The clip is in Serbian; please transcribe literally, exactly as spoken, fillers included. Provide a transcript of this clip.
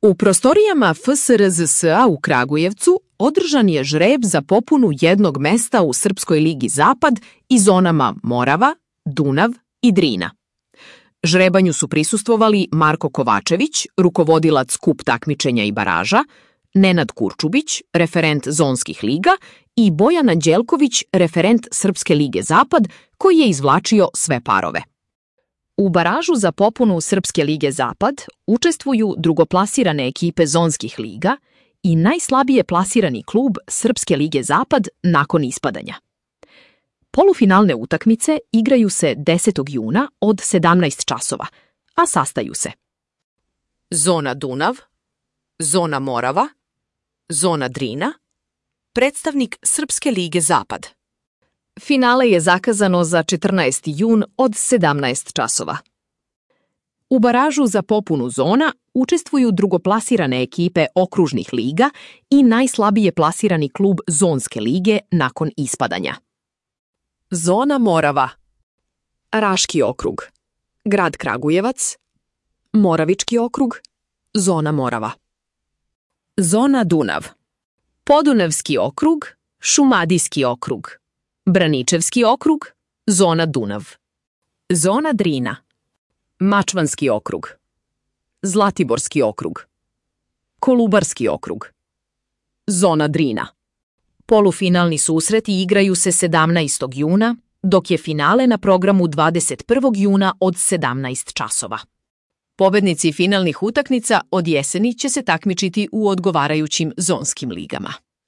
U prostorijama F S R Z S A u Kragujevcu održan je žreb za popunu jednog mesta u Srpskoj ligi Zapad i zonama Morava, Dunav i Drina. Žrebanju su prisustvovali Marko Kovačević, rukovodilac kup takmičenja i baraža, Nenad Kurčubić, referent zonskih liga i Bojan Anđelković, referent Srpske lige Zapad, koji je izvlačio sve parove. U baražu za popunu Srpske lige Zapad učestvuju drugoplasirane ekipe zonskih liga i najslabije plasirani klub Srpske lige Zapad nakon ispadanja. Polufinalne utakmice igraju se desetog juna od sedamnaest časova, a sastaju se: Zona Dunav, Zona Morava, Zona Drina, predstavnik Srpske lige Zapad. Finale je zakazano za četrnaesti jun od sedamnaest časova. U baražu za popunu zona učestvuju drugoplasirane ekipe okružnih liga i najslabije plasirani klub zonske lige nakon ispadanja. Zona Morava, Raški okrug, grad Kragujevac, Moravički okrug, Zona Morava. Zona Dunav, Podunavski okrug, Šumadijski okrug, Braničevski okrug, Zona Dunav. Zona Drina, Mačvanski okrug, Zlatiborski okrug, Kolubarski okrug, Zona Drina. Polufinalni susreti igraju se sedamnaestog juna, dok je finale na programu dvadeset prvog juna od sedamnaest časova. Pobednici finalnih utakmica od jeseni će se takmičiti u odgovarajućim zonskim ligama.